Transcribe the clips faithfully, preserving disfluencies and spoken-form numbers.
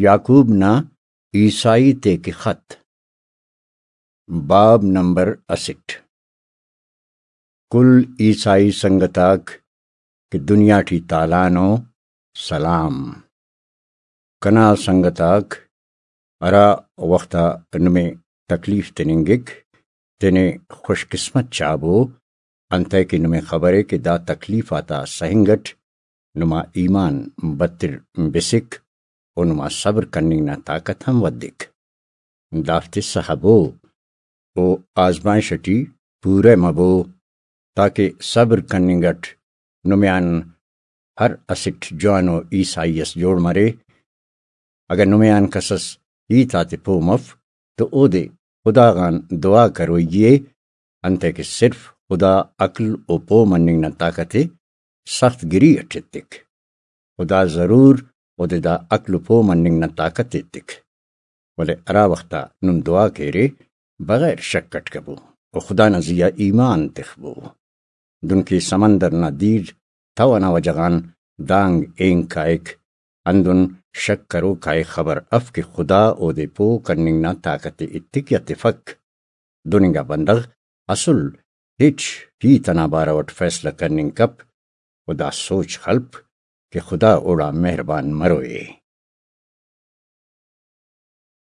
یعقوب نا عیسائی تے کہ خط۔ باب نمبر اسٹ۔ کل عیسائی سنگت آک کہ دنیا ٹی تالان ءُ، سلام۔ کنا سنگت آک، ہرا وخت آ نمے تکلیف تننگک، تینے خوش قسمت چابو، انتئے کہ نمے خبرے کہ دا تکلیف آتا سہنگ اٹ نما ایمان بتر بسک و نما صبر کننگ نا طاقت ہم ودک۔ دافتے سہبو و آزمائش اٹی پورہ مبو، تاکہ صبر کننگ اٹ نمے آن ہر اسٹ جوانو عیسائی اس جوڑ مرے۔ اگہ نمے آن کسس ہیت آتے پہہ مف تو اودے خدا غان دعا کروئی ءِ، انتئے کہ صرف خدا عقل و پہہ مننگ نا طاقت ءِ سخت گری اٹ ایتک۔ خدا ضرور اودے دا عقل و پہہ مننگ نا طاقت ایتک۔ ولے ہرا وخت آ نم دعا کیرے، بغیر شک اٹ کبو و خدا نا زی آ ایمان تخبو۔ دنکہ سمندر نا دیر تو ئنا وجہ غان دانگ اینگ کائک، ہندن شک کروک آ ءِ خبر اف کہ خدا اودے پہہ کننگ نا طاقت ءِ ایتک یا تفک۔ دن انگا بندغ اسل ہچ ہیت ئنا بارو ئٹ فیصلہ کننگ کپ و دا سوچ خلپ کہ خدا اوڑان مہربان مروئے۔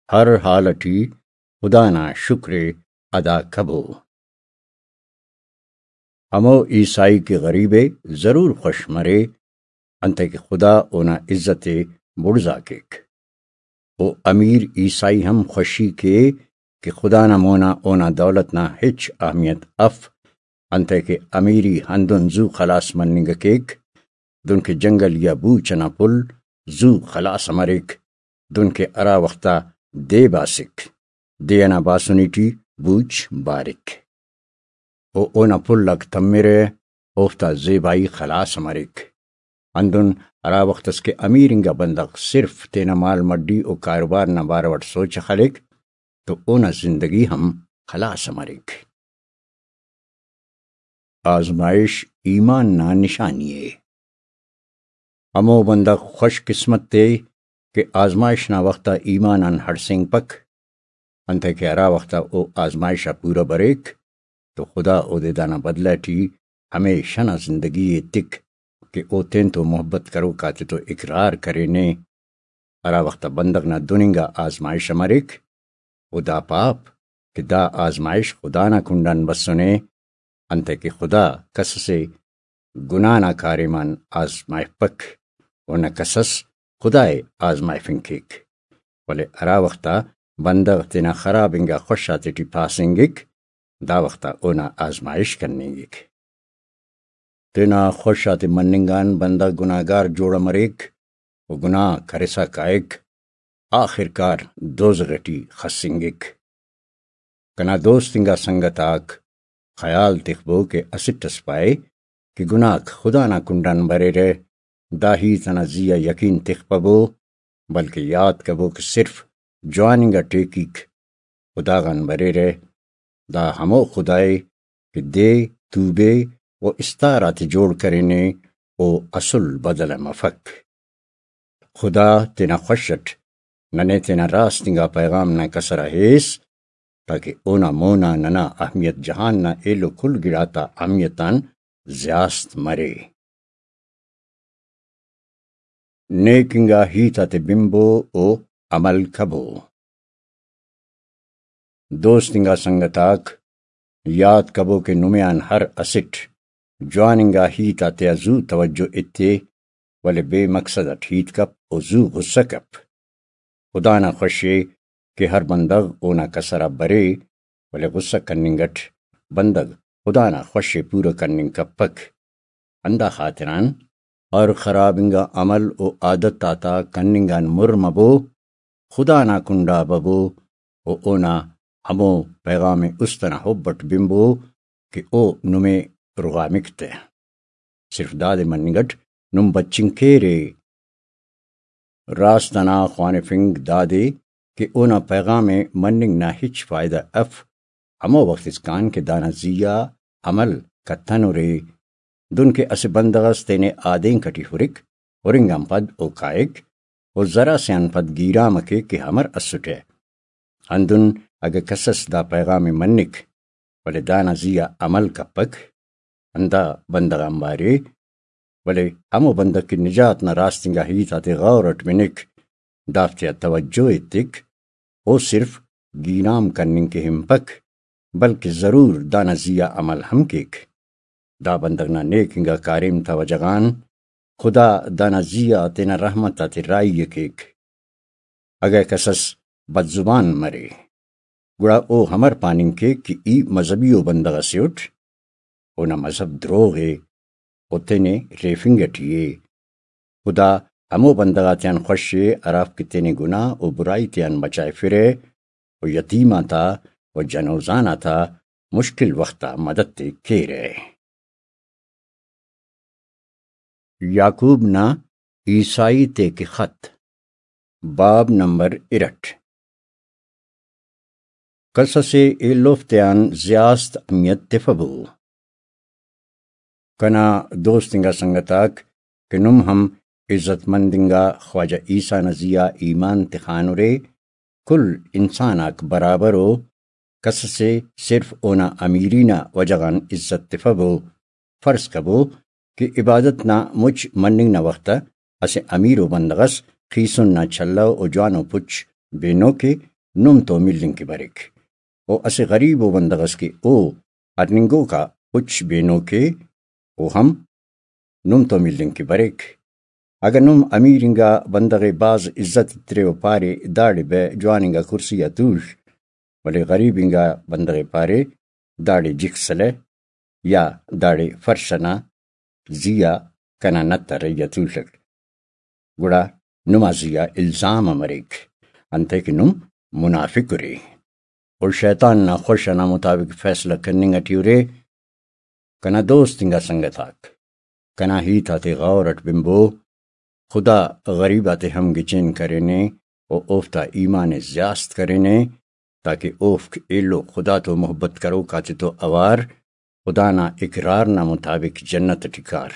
ہر حال ٹی خدا نا شکر ءِ ادا کبو۔ ہمو عیسائی کہ غریب ءِ ضرور خوش مرے، انتئے کہ خدا اونا عزت ءِ بڑزا کیک۔ او امیر عیسائی ہم خوشی کے کہ خدا نا مونا اونا دولت نا ہچ اہمیت اف، انتئے کہ امیری ہندن زو خلاس مننگ کیک، دنکہ جنگل یا بوچ ئنا پھل زو خلاس مریک، دنکہ ہرا وخت آ دے باسک، دے ئنا باسنی ٹی بوچ بارک۔ و اونا پھل آک تمرہ، اوفتا زیبائی خلاس مریک۔ ہندن ہرا وخت اس کہ امیر انگا بندغ صرف تینا مال مڈی و کاروبار نا بارو اٹ سوچ ءِ خلیک تو اونا زندگی ہم خلاس مریک۔ آزمائش ایمان نا نشانی ءِ۔ ہمو بندغ خوش قسمت ءِ کہ آزمائش نا وخت آ ایمان آن ہڑسینگپک، انتئے کہ ہرا وخت آ او آزمائش آ پورہ بریک تو خدا اودے دانا بدلہ ٹی ہمیشہ نا زندگی ایتک کہ او تینتو محبت کروک آتتو اقرار کرینے۔ ہرا وخت آ بندغ نا دن انگا آزمائش مریک، او دا پاپ کہ دا آزمائش خدا نا کنڈان بسنے، انتئے کہ خدا کس اسے گناہ نا کاریم آن آزمائفپک و نہ کسس خدا ءِ آزمائفنگ کیک۔ ولے ہرا وخت آ بندغ تینا خراب انگا خوش آتیٹی پاسنگک، دا وخت آ اونا آزمائش کننگک۔ تینا خوش آتے مننگ آن بندغ گناہگار جوڑ مریک و گناہ کرسا کائک، آخر کار دوزخ ٹی خسنگک۔ کنا دوست انگا سنگت آک، خیال تخبو کہ اسٹ اس پائے کہ گناہک خدا نا کنڈان بریرہ، دا ہیت ئنا زی آ یقین تخپبو، بلکہ یات کبو کہ صرف جوان انگا ٹیکیک خدا غان بریرہ۔ دا ہمو خدا ءِ کہ دے توبے و استار آتے جوڑ کرینے، او اسل بدل ءِ مفک۔ خدا تینا خوش اٹ ننے تینا راست انگا پیغام نا کسر آ ہیس، تاکہ اونا مونا ننا اہمیت جہان نا ایلو کل گڑاتا اہمیت آن زیاست مرے۔ نیک انگا ہیت آتے بنبو و عمل کبو۔ دوست انگا سنگت آک، یات کبو کہ نمے آن ہر اسٹ جوان انگا ہیت آتیا زو توجہ ایتے، ولے بے مقصد اٹ ہیت کپ و زو غصہ کپ۔ خدا نا خوشے کہ ہر بندغ اونا کسر آ برے، ولے غصہ کننگ اٹ بندغ خدا نا خوشے پورہ کننگ کپک۔ ہندا خاطران ہر خراب انگا عمل و عادت آتا کننگ آن مر مبو، خدا نا کنڈا ببو و اونا ہمو پیغام است ئنا حب اٹ بنبو کہ او نمے رغامک تہ۔ صرف دادے مننگ اٹ نم بچنگ کیرے۔ راست ئنا خوانفنگ دادے کہ اونا پیغام ءِ مننگ نا ہچ فائدہ اف، ہمو وخت اسکان کہ دانا زی آ عمل کتنرے۔ دن کہ اسہ بندغ ئس تینے آدینک ئٹی ہرک، ہرنگ آن پد او کائک و زر اسے آن پد گیرام ء کیک کہ ہمر اسٹہ۔ ہندن اگہ کسس دا پیغام ء منک، ولے دانا زی آ عمل کپک، ہندا بندغ آنبار ء، ولے ہمو بندغ کہ نجات نا راست انگا ہیت آتے غور اٹ بنک، دافتیا توجہ ایتک، او صرف گیرام کننگ کہ ہنپک، بلکہ ضرور دانا زی آ عمل ہم کیک۔ دا بندغ نا نیک انگا کاریم تا وجہ غان خدا دانا زی آ تینا رحمت آتے راہی ء کیک۔ اگہ کسس بدزبان مرے، گڑا او ہمر پاننگ کیک کہ ای مذہبی ءُ بندغ اسے اٹ، اونا مذہب دروغ ءِ، او تینے ریفنگ اٹی ءِ۔ خدا ہمو بندغ آتیان خوش ءِ، ہرافک کہ تینے گناہ و برائی تیان بچائفرہ و یتیم آتا و جنوزان آتا مشکل وخت آ مدد ءِ کیرہ۔ یعقوب نا عیسائی تے کہ خط، باب نمبر ارٹ۔ کس اسے ایلوف تیان زیاست اہمیت تفبو۔ کنا دوست انگا سنگت آک کہ نم ہم عزت مند انگا خواجہ عیسیٰ نا زی آ ایمان تخانرے، کل انسان آک برابر ءُ، کس اسے صرف اونا امیری نا وجہ غان عزت تفبو۔ فرض کبو کہ عبادت نا مچ مننگ نا وخت آ اسہ امیر ءُ بندغ اس خیسن نا چھلو و جوانو پچ بینو کہ نم تو ملنگ کہ بریک، و اسہ غریب ءُ بندغ اس کہ او ہرننگوکا پچ بینو کہ او ہم نم تو ملنگ کہ بریک۔ اگہ نم امیر انگا بندغ ءِ بھاز عزت ایترے و پارے، داڑے بہ جوان انگا کرسی آ توڷ، ولے غریب انگا بندغ ءِ پارے، داڑے جک سلہ یا داڑے فرش ئنا زی آ کنا نت آ رہی آ توڷک، گڑا نما زی آ الزام ءِ مریک، انتئے کہ نم منافق ارے۔ و شیطان نا خوش ئنا مطابق فیصلہ کننگ ئٹی ارے۔ کنا دوست انگا سنگت آک، کنا ہیت آتے غور ئٹ بنبو۔ خدا غریب آتے ہم گچین کرینے و اوفتا ایمان ءِ زیاست کرینے، تاکہ اوفک ایلو خدا تو محبت کروک آتے تو اوار خدا نا اقرار نا مطابق جنت ئٹی کار۔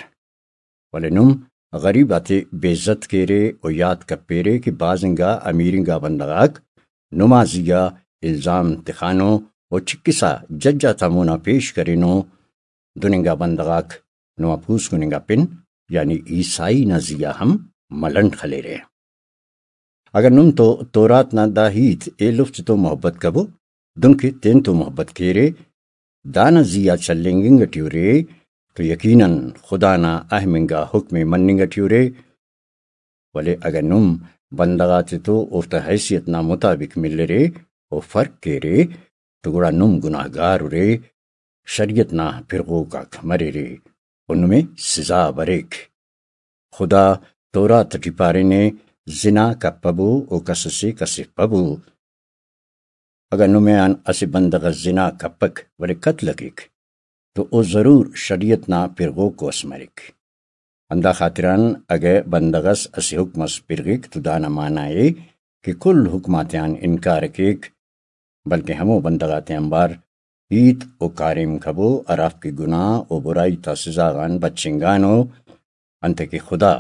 ولے نم غریب آتے بے عزت کیرے و یات کپیرے کہ بھاز انگا امیر انگا بندغ آک نما زی آ الزام تخانو و چکسا جج آتا مونا پیش کرینو۔ دن انگا بندغ آک نما پوسکن انگا پن یعنی عیسائی نا زی آ ہم ملنڈ خلیرہ۔ اگہ نم تو تورات نا دا ہیت ایلوفتے تو محبت کبو، دنکہ تینتو محبت کیرے، دانا زی آ چلینگ انگ ٹی ارے، تو یقیناً خدا نا اہم انگا حکم ءِ مننگ ٹی ارے۔ ولے اگہ نم بندغ آتے تو اوفتا حیثیت نا مطابق ملرے و فرق کیرے، تو گڑا نم گناہگار ارے، شریعت نا پرغوک آک مریرے و نمے سزا بریک۔ خدا تورات ٹی پارینے، زنا کپبو و کس سے کسفبو۔ اگہ نمے آن اسہ بندغ اس زنا کپک ولے قتل ءِ کیک تو او ضرور شریعت نا پرغوکو اس مریک۔ ہندا خاطران اگہ بندغ اس اسہ حکم اس پرغک تو دانا معنی ءِ کہ کل حکم آتیان انکار ءِ کیک، بلکہ ہمو بندغ آتے آنبار ہیت و کاریم کبو ہرافک کہ گناہ و برائی تا سزا غان بچنگانو، انتئے کہ خدا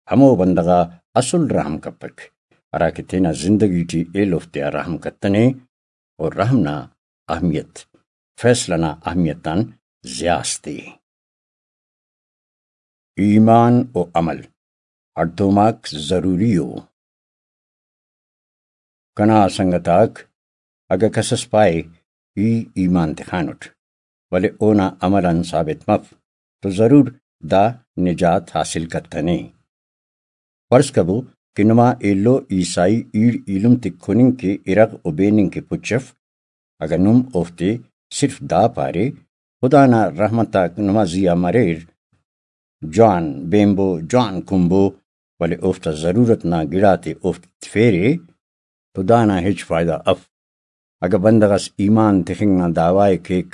ہمو بندغ آ اسل رحم کپک، ہراکہ تینا زندگی ٹی ایلوفتیا رحم کتنے، و رحم نا اہمیت فیصلہ نا اہمیت آن زیاست ءِ۔ ایمان و عمل ہڑتوماک ضروری ءُ۔ کنا سنگت آک، اگہ کس اس پائے، ای ایمان تخانٹ، ولے اونا عمل آن ثابت مف، تو ضرور دا نجات حاصل کتنے۔ فرض کبو کہ نما ایلو عیسائی ایڑ ایلم تے کننگ کہ ارغ و بیننگ کہ پچ اف، اگہ نم اوفتے صرف دا پارے، خدا نا رحمت آک نما زی آ مریر، جوان بینبو، جوان کنبو، ولے اوفتا ضرورت نا گڑاتے اوفتے تفیرے، تو دانا ہچ فائدہ اف۔ اگہ بندغ اس ایمان تخنگ نا دعوی ءِ کیک،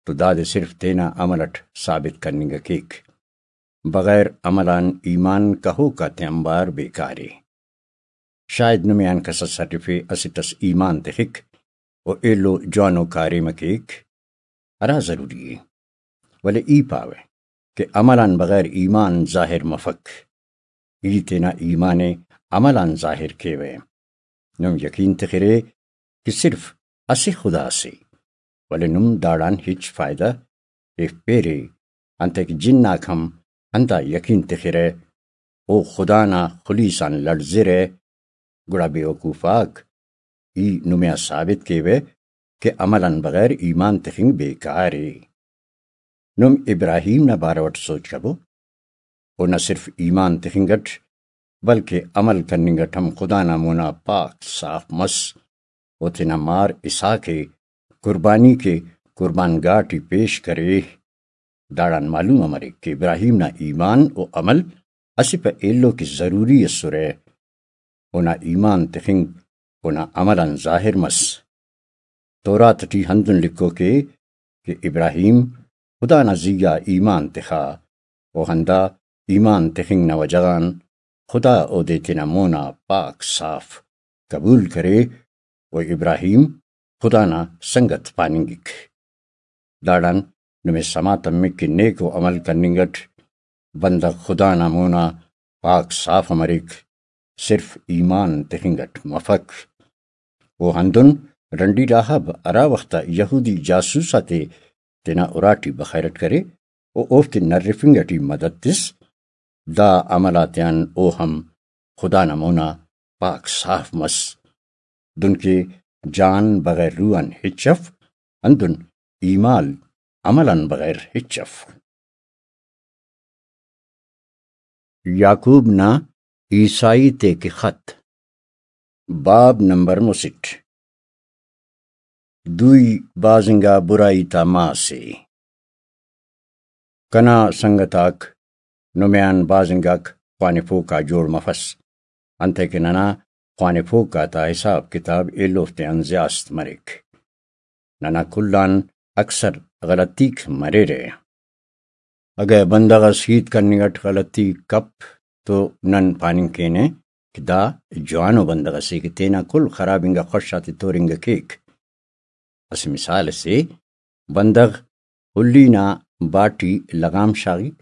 تو دادے صرف تینا عمل اٹ ثابت کننگ ءِ کیک۔ بغیر عمل آن ایمان کہوک آتے آنبار بیکار ءِ۔ شاید نمے آن کس اس ہرفے، اسٹ اس ایمان تخک و ایلو جوانو کاریم ءِ کیک، ہرا ضروری ءِ، ولے ای پاوہ کہ عمل آن بغیر ایمان ظاہر مفک۔ ای تینا ایمان ءِ عمل آن ظاہر کیوہ۔ نم یقین تخرے کہ صرف اسہ خدا سے، ولے نم داڑان ہچ فائدہ ایفپیرے، انتئے کہ جن آک ہم ہندا یقین تخرہ، او خدا نا خلیس آن لڑزرہ۔ گڑا بے وقوف آک، ای نمے آ ثابت کیوہ کہ عمل آن بغیر ایمان تخنگ بیکار ءِ۔ نم ابراہیم نا بارو اٹ سوچ کبو۔ او نہ صرف ایمان تخنگ اٹ، بلکہ عمل کننگ اٹ ہم خدا نا مونا پاک صاف مس۔ او تینا مار اسحاق ءِ قربانی کے قربان گاہ ٹی پیش کرے۔ داڑان معلوم مریک کہ ابراہیم نا ایمان و عمل اسہ پہ ایلو کہ ضروری ئسرہ۔ اونا ایمان تخنگ اونا عمل آن ظاہر مس۔ تورات ٹی ہندن لکھوک ءِ کہ ابراہیم خدا نا زیہا ایمان تخا، و ہندا ایمان تخنگ نا وجہ غان خدا اودے تینا مونا پاک صاف قبول کرے، و ابراہیم خدا نا سنگت پاننگک۔ داڑان نمے سما تمک کہ نیکو عمل کننگ اٹ بندغ خدا نا مونا پاک صاف مریک، صرف ایمان تخنگ اٹ مفک۔ او ہندن رنڈی راہب ہرا وخت آ یہودی جاسوس آتے تینا اراٹی بخیرٹ کرے و اوفتے نرفنگ ٹی مدد تس، دا عمل آتیان او ہم خدا نا مونا پاک صاف مس۔ دنکہ جان بغیر روح آن ہچ اف، ہندن ایمان عمل آن بغیر ہچ اف۔ یعقوب نا عیسائی تے کہ خط، باب نمبر مسٹ۔ دوئی بازنگا برائی تا ماسے۔ کنا سنگت آک، نمے آن بازنگاک خوانفوک آ جوڑ مفس، انتئے کہ ننا خوانفوک آتا حساب کتاب ایلوفتیان زیاست مریک۔ ننا کل آن اکثر غلطیک مریرہ۔ اگہ بندغ اس ہیت کننگ اٹ غلطی کپ تو نن پاننگ کینہ کہ دا جوانو بندغ اسے کہ تینا کل خراب انگا خوش آتے تورنگ کیک۔ اسہ مثال اسے، بندغ ہلی نا باٹی لغام شاغک،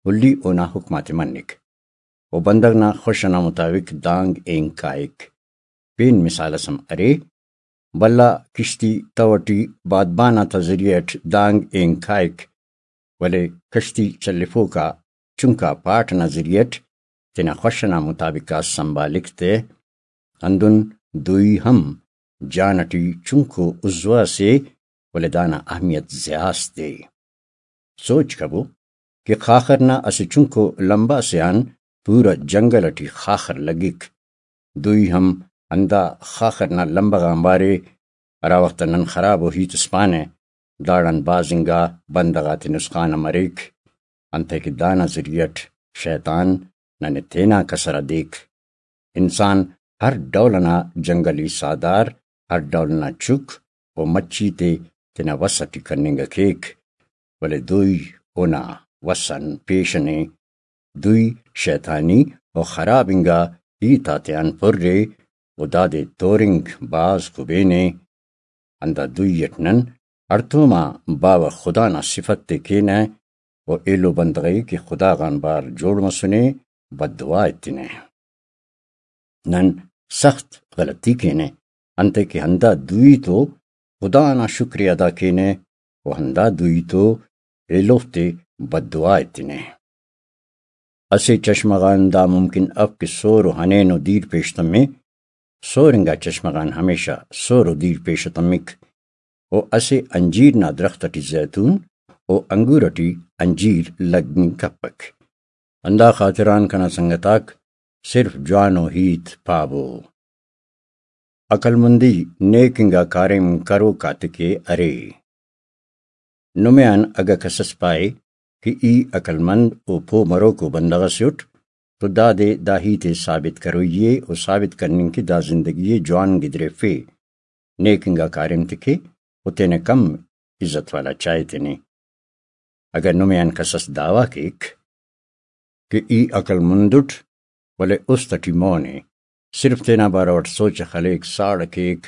ہلی اونا حکم آتے منک، و بندغ نا خوش ئنا مطابق دانگ اینگ کائک۔ پین مثال اس ہم ارے، بھلا کشتی تو ٹی بادبان آتا ذریعہ اٹ دانگ اینگ کائک، ولے کشتی چلیفوک آ چنکا پاٹ ئنا ذریعہ اٹ تینا خوش ئنا مطابق آ سنبھالک تہ، ہندن دوئی ہم جان ٹی چنکو عضو اسے، ولے دانا اہمیت زیاست ءِ۔ سوچ کبو کہ خاخر نا اسہ چنکو لمبہ سے آن پورا جنگل ٹی خاخر لگک۔ دوئی ہم ہندا خاخر نا لمبہ غان بارے، ہرا وخت نن خراب و ہیت اس پانہ، داڑان بھاز انگا بندغ آتے نسخان ہم مریک، انتئے کہ دانا ذریعہ اٹ شیطان ننے تینا کسر آ دیک۔ انسان ہر ڈول ئنا جنگلی ساہدار، ہر ڈول ئنا چک و مچی تے تینا وس ٹی کننگ کیک، ولے دوئی اونا وس آن پیش نے۔ دوئی شیطانی و خراب انگا ہیت آتیان پُر ءِ و دادے تورنگ بھاز کبین ءِ۔ ہندا دوئی اٹ نن ہڑتوم آ باوہ خدا نا صفت تے کینہ و ایلو بندغ ءِ کہ خدا غان بار جوڑ مسنے، بددعا ایتنہ۔ نن سخت غلطی کینہ، انتئے کہ ہندا دوئی تو خدا نا شکر ءِ ادا کینہ و ہندا دوئی تو ایلوفتے بددعا ایتنہ۔ اسہ چشمہ غان دا ممکن اف کہ سور و ہنین و دیر پیش تمے، سور انگا چشمہ غان ہمیشہ سور و دیر پیش تمک، و اسہ انجیر نا درخت ٹی زیتون و انگور ٹی انجیر لگنگ کپک۔ ہندا خاطران کنا سنگتاک صرف جوانو ہیت پابو۔ عقلمندی نیک انگا کاریم کروک آتیکے ارے۔ نمے آن اگہ کسس پائے کہ ای عقلمند و پہہ مروکو بندغ ئسے اٹ تو دادے دا ہیت ءِ ثابت کروئی ءِ و ثابت کننگ کہ دا زندگی ءِ جوان گدریفے، نیک انگا کاریم تے کے و تینے کم عزت والا چائے تینے۔ اگہ نمے آن کسس دعویٰ کیک کہ ای عقلمند اٹ، ولے است ٹی مون ءِ، صرف تینا بارو اٹ سوچ ءِ خلیک، ساڑ ءِ کیک،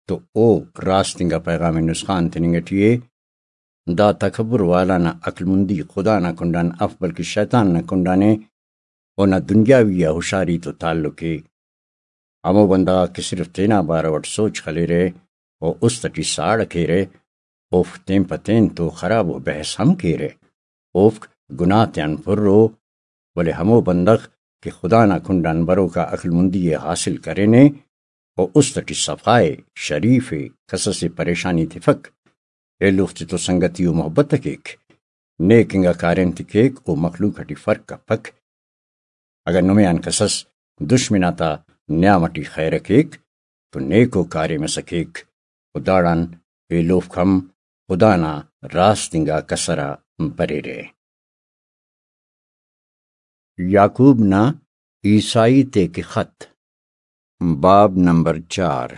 تو او راست انگا پیغام نسخان تننگ ٹی ءِ۔ دا تکبر والا نا عقلمندی خدا نا کنڈان اف، بلکہ شیطان نا کنڈان ءِ۔ اونا دنیاوی آ ہشاری تو تعلق ءِ۔ ہمو بندغ آک کہ صرف تینا بارو اٹ سوچ خلیرہ و است اٹی ساڑ کیرہ، اوفک تین پہ تین تو خراب و بحث ہم کیرہ۔ اوفک گناہ تیان پر ءُ، ولے ہمو بندغ کہ خدا نا کنڈان بروکا عقلمندی ءِ حاصل کرینے و است اٹی صفا ءِ، شریف ءِ، کس اسے پریشانی تفک، ایلوفتے تو سنگتی و محبت ءِ کیک، نیک انگا کاریم تے کیک و مخلوق اٹی فرق کپک۔ اگہ نمے آن کسس دشمن آتا نیام اٹی خیر ءِ کیک تو نیکو کاریم ئسے کیک و داڑان ایلوفک ہم خدا نا راست انگا کسر آ بریرہ۔ یعقوب نا عیسائی تے کہ خط، باب نمبر چار۔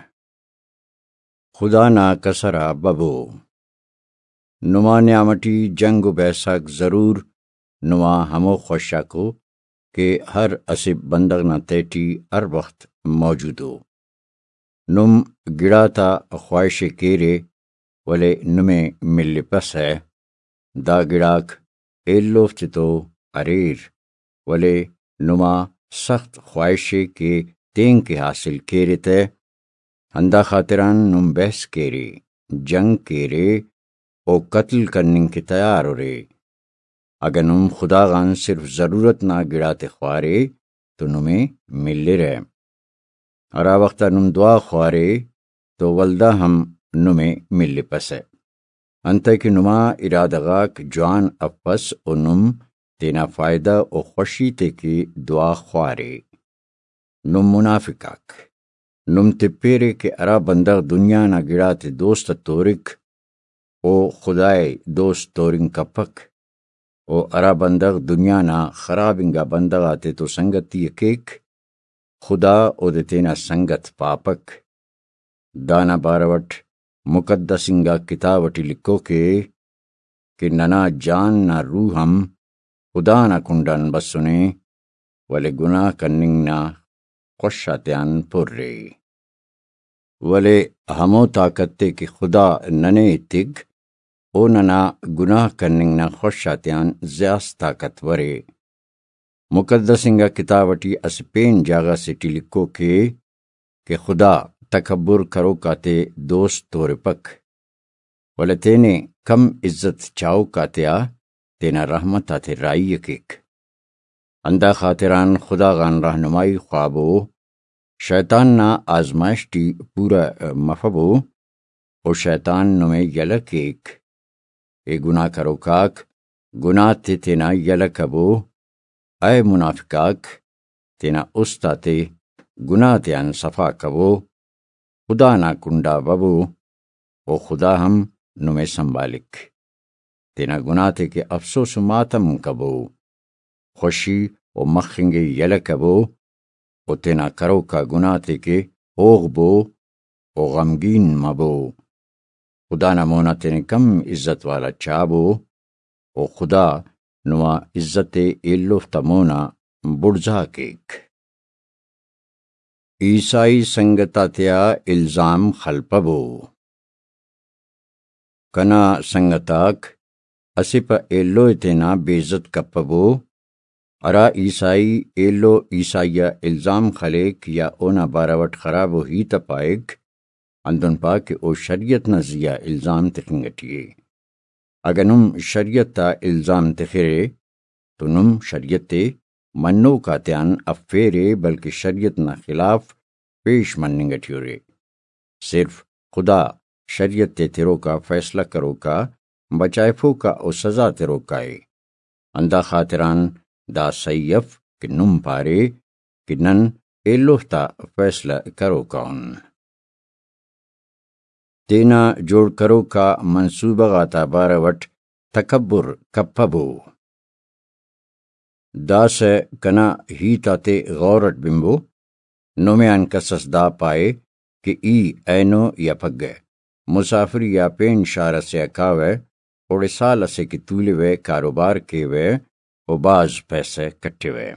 خدا نا کسر آ ببو۔ نما نیام اٹی جنگ و بحث آک ضرور نما ہمو خوشاکو کہ ہر اسہ بندغ نا تہٹی ہر وخت موجود ءُ۔ نم گڑاتا خواہش ءِ کیرے، ولے نمے ملپسہ۔ دا گڑاک ایلوفتے تو اریر، ولے نما سخت خواہش ءِ کہ تینکہ حاصل کیرے تہ، ہندا خاطران نم بحث کیرے، جنگ کیرے و قتل کننگ کہ تیار ارے۔ اگہ نم خدا غان صرف ضرورت نا گڑاتے خوارے تو نمے ملرہ۔ ہرا وخت آ نم دعا خوارے تو ولدا ہم نمے ملپسہ۔ انتئے کہ نما ارادہ غاک جوان افس و نم تینا فائدہ و خوشی تے کہ دعا خوارے۔ نم منافق آک۔ نم تپیرے کہ ہرا بندغ دنیا نا گڑاتے دوست تورک، او خدائے دوست تورنگ کپک۔ و ہرا بندغ دنیا نا خراب انگا بندغ آتے تو سنگتی ءِ کیک، خدا اودے تینا سنگت پاپک۔ دانا بارو اٹ مقدس انگا کتاب اٹی لکھوک ءِ کہ ننا جان نا روح ہم خدا نا کنڈان بسنے، ولے گناہ کننگ نا خوش آتیان پر ءِ۔ ولے ہمو طاقت تے کہ خدا ننے ایتک، او ننا گناہ کننگ نا خوش آتیان زیات طاقتور ءِ۔ مقدس انگا کتاب اٹی اسہ پین جاگہ سے ٹی لکھوک ءِ کہ خدا تکبر کروک آتے دوست تورپک، ولے تینے کم عزت چاہوک آتیا تینا رحمت آتے راہی ءِ کیک۔ ہندا خاطران خدا غان رہنمائی خوابو، شیطان نا آزمائش ٹی پورہ مفبو، و شیطان نمے یلہ کیک۔ اے گناہ کروک آک، گناہ تے تینا یلہ کبو۔ اے منافق آک، تینا است آتے گناہ تیان صفا کبو، خدا نا کنڈا ببو، و خدا ہم نمے سنبھالک۔ تینا گناہ تے کہ افسوس و ماتم کبو، خوشی و مخنگ ءِ یلہ کبو، و تینا کروکا گناہ تے کہ ہوغبو و غمگین مبو۔ خدا نا مونا تینے کم عزت والا چابو، و خدا نما عزت ءِ ایلوفتا مونا بڑزا کیک۔ عیسائی سنگت آتیا الزام خلپبو۔ کنا سنگت آک، اسہ پہ ایلو ءِ تینا بے عزت کپبو، ہرا عیسائی ایلو عیسائی آ الزام خلیک یا اونا بارو اٹ خرابو ہیت ءِ پائک، ہندن پا کہ او شریعت نا زیہا الزام تخنگ اٹی ءِ۔ اگہ نم شریعت آ الزام تخرے تو نم شریعت ءِ منوک آتیان افیرے، بلکہ شریعت نا خلاف پیش مننگ اٹی ارے۔ صرف خدا شریعت ءِ تروکا، فیصلہ کروکا، بچائفوکا و سزا تروکا ءِ۔ ہندا خاطران دا سہی اف کہ نم پارے کہ نن ایلوفتا فیصلہ کروکا ان۔ تینا جوڑ کروکا منصوبہ غاتا بارو اٹ تکبر کپبو۔ داسہ کنا ہیت آتے غور اٹ بنبو، نمے آن کس اس دا پائے کہ ای اینو یا پگہ مسافری آ پین شار اسے آ کاوہ، اوڑے سال اسے کہ تولوہ، کاروبار کیوہ و بھاز پیسہ کٹوہ۔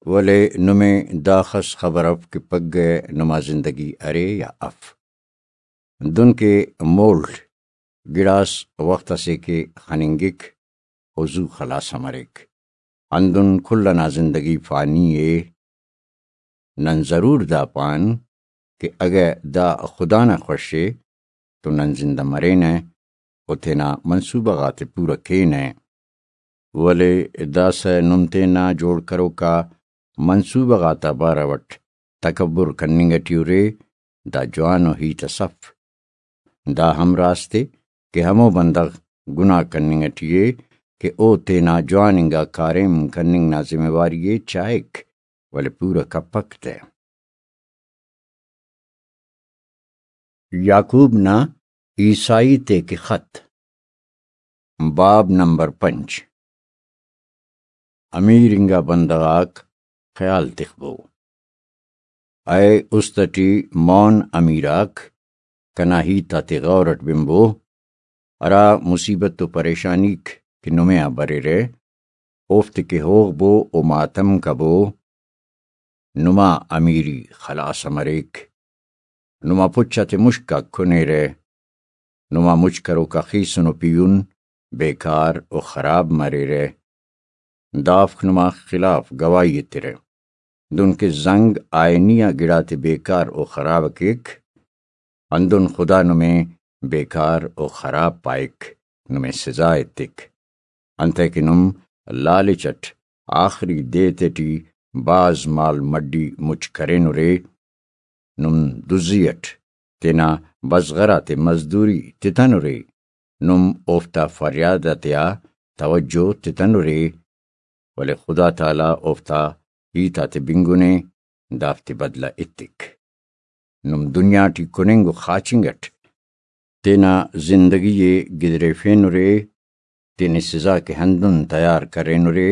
ولے نمے داخس خبر اف کہ پگہ نما زندگی ارے یا اف۔ دن کہ مولٹ گڑاس وخت اسے کہ خننگک و زو خلاس ہم مریک۔ ہندن کل انا زندگی فانی ءِ۔ نن ضرور دا پان کہ اگہ دا خدا نا خوش ءِ تو نن زندہ مرینہ و تینا منصوبہ غاتے پورہ کینہ، ولے داسہ نم تینا جوڑ کروکا منصوبہ غاتا بارو اٹ تکبر کننگ ٹی ارے، دا جوانو ہیت اس اف۔ دا ہم راست ءِ کہ ہمو بندغ گناہ کننگ ٹی ءِ کہ او تینا جوان انگا کاریم کننگ نا ذمہ واری ءِ چاہک، ولے پورہ کپک تہ۔ یعقوب نا عیسائی تے کہ خط، باب نمبر پنچ۔ امیر انگا بندغ آک خیال تخبو۔ اے است ٹی مون امیر آک، کنا ہیت آتے غور اٹ بنبو۔ ہرا مصیبت و پریشانیک کہ نمے آ بریرہ، اوفتے کہ ہوغ بو و ماتم کبو۔ نما امیری خلاص مریک۔ نما پچ آتے مشک آک کنیرہ۔ نما مچ کروکا خیسن و پیہن بیکار و خراب مریرہ۔ دافک نما خلاف گواہی ایترہ۔ دنکہ زنگ آئینی آ گڑاتے بیکار و خراب کیک، ہندن خدا نمے بیکار و خراب پائک، نمے سزا ایتک۔ انتئے کہ نم لالچ اٹ آخری دے تیٹی بھاز مال مڈی مچ کرینرے، نم دزی اٹ تینا بزغر آتے مزدوری تتنرے، نم اوفتا فریاد آتیا توجہ تتنرے، ولے خدا تعالیٰ اوفتا ہیت آتے بنگنے، دافتے بدلہ ایتک۔ نم دنیا ٹی کننگ و خاچنگ اٹ تینا زندگی ءِ گدریفینرے، تینے سزا کہ ہندن تیار کرینرے،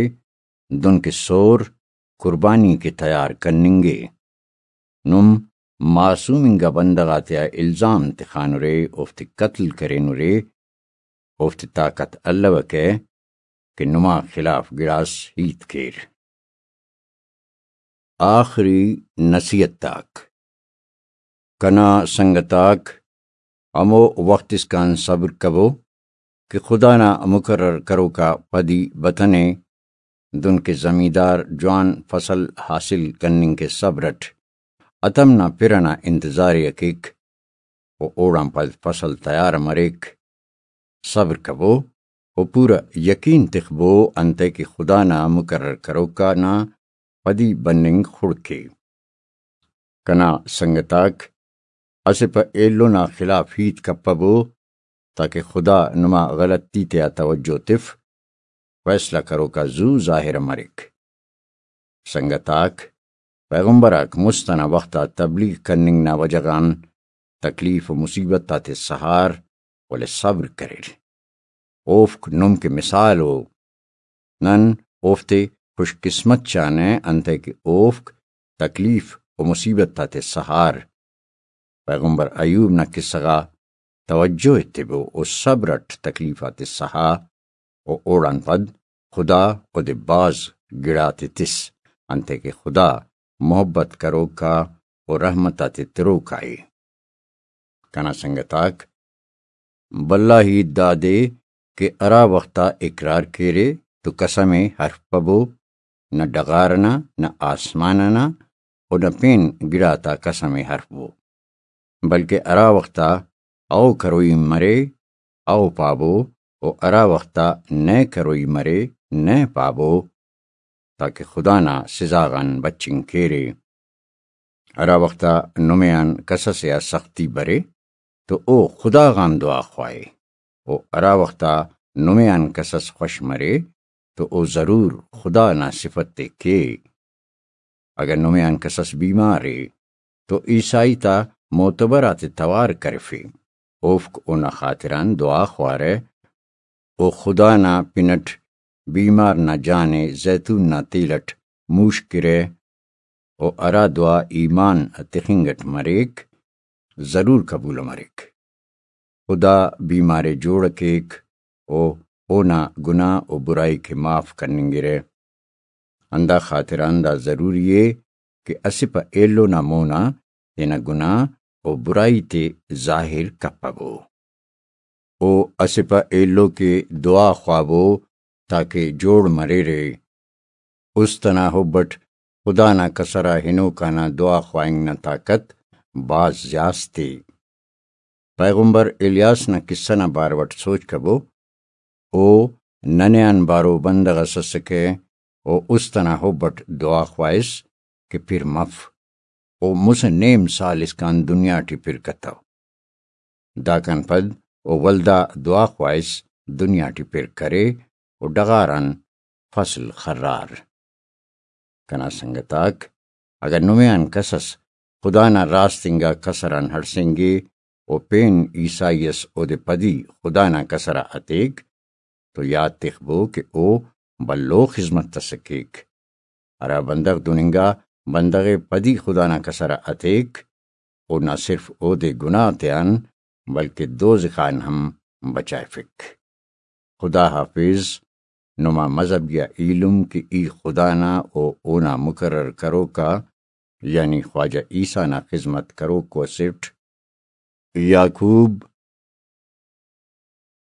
دنکہ سور قربانی کہ تیار کننگے۔ نم معصوم انگا بندغ آتیا الزام تخانرے، اوفتے قتل کرینرے، اوفتے طاقت الوکہ کہ نما خلاف گڑاس ہیت کیر۔ آخری نصیحت آک۔ کنا سنگت آک، ہمو وخت اسکان صبر کبو کہ خدا نا مقرر کروکا پدی بتنے، دنکہ زمیندار جوان فصل حاصل کننگ کہ صبر اٹ ہتم نا پِر ئنا انتظار ءِ کیک و اوڑان پد فصل تیار مریک۔ صبر کبو و پورا یقین تخبو انتئے کہ خدا نا مقرر کروکا نا پدی بننگ خڑک ءِ۔ کنا سنگت آک، اسہ پہ ایلو نا خلاف ہیت کپبو، تاکہ خدا نما غلطی تیا توجہ تف، فیصلہ کروکا زو ظاہر مریک۔ سنگت آک، پیغمبر آک مست ئنا وخت آ تبلیغ کننگ نا وجہ غان تکلیف و مصیبت آتے سہار، ولے صبر کریر۔ اوفک نم کہ مثال ءُ۔ نن اوفتے خوش قسمت چانہ، انتئے کہ اوفک تکلیف و مصیبت آتے سہار۔ پیغمبر ایوب نا قصہ غا توجہ ایتبو و صبر اٹ تکلیف آتے سہا و اوڑان پد خدا اودے بھاز گڑاتے تس، انتئے کہ خدا محبت کروکا و رحمت آتے تروکا ءِ۔ کنا سنگت آک، بھلا ہیت دادے کہ ہرا وخت آ اقرار کیرے تو قسم ءِ حرف پبو، نہ ڈغار ئنا، نہ آسمان ئنا و نہ پین گڑاتا قسم ءِ حرف بو، بلکہ ہرا وخت آ او کروئی مرے، او پابو، و ہرا وخت آ نئے کروئی مرے، نئے پابو، تاکہ خدا نا سزا غان بچنگ کیرے۔ ہرا وخت آ نمے آن کسس ءِ آ سختی برے تو او خدا غان دعا خواہے، و ہرا وخت آ نمے آن کسس خوش مرے تو او ضرور خدا نا صفت ءِ کے۔ اگہ نمے آن کسس بیمار ءِ تو عیسائی تا معتبر آتے توار کرفے، اوفک اونا خاطران دعا خوارہ، و خدا نا پن اٹ بیمار نا جان ءِ زیتون نا تیل اٹ موشکرہ، و ہرا دعا ایمان تخنگ اٹ مریک، ضرور قبول مریک۔ خدا بیمار ءِ جوڑ کیک و اونا گناہ و برائی کہ معاف کننگرہ۔ ہندا خاطران دا ضروری ءِ کہ اسہ پہ ایلو نا مون آ تینا گناہ و برائی تے ظاہر کپبو۔ او اسہ پہ ایلو کہ دعا خوابو تاکہ جوڑ مریرے۔ است ئنا حب ئٹ خدا نا کسر آ ہنوکا نا دعا خواہنگ نا طاقت بھاز زیات ءِ۔ پیغمبر الیاس نا کسہ نا بارو ئٹ سوچ کبو، او ننے آن بارو بندغ ئس ئسکہ، او است ئنا حب ئٹ دعا خواہس کہ پِر مف۔ او مسہ نیم سال اسکان دنیا ٹی پِر کتو۔ داکان پد او ولدا دعا خواہس دنیا ٹی پِر کرے و ڈغار آن فصل خرار۔ کنا سنگت آک، اگہ نمے آن کس ئس خدا نا راست انگا کسر آن ہڑسینگے و پین عیسائی ئس اودے پدی خدا نا کسر آ اتیک، تو یات تخبو کہ او بھلو خذمت ئسے کیک۔ ہرا بندغ دن انگا بندغ ءِ پدی خدا نا کسر آ اتیک، او نہ صرف اودے گناہ تیان بلکہ دوزخ آن ہم بچائفک۔ خدا حافظ، نما مذہبی آ ایلم کہ ای خدا نا و اونا مقرر کروکا، یعنی خواجہ عیسیٰ نا خذمت کروکو اسٹ۔ یعقوب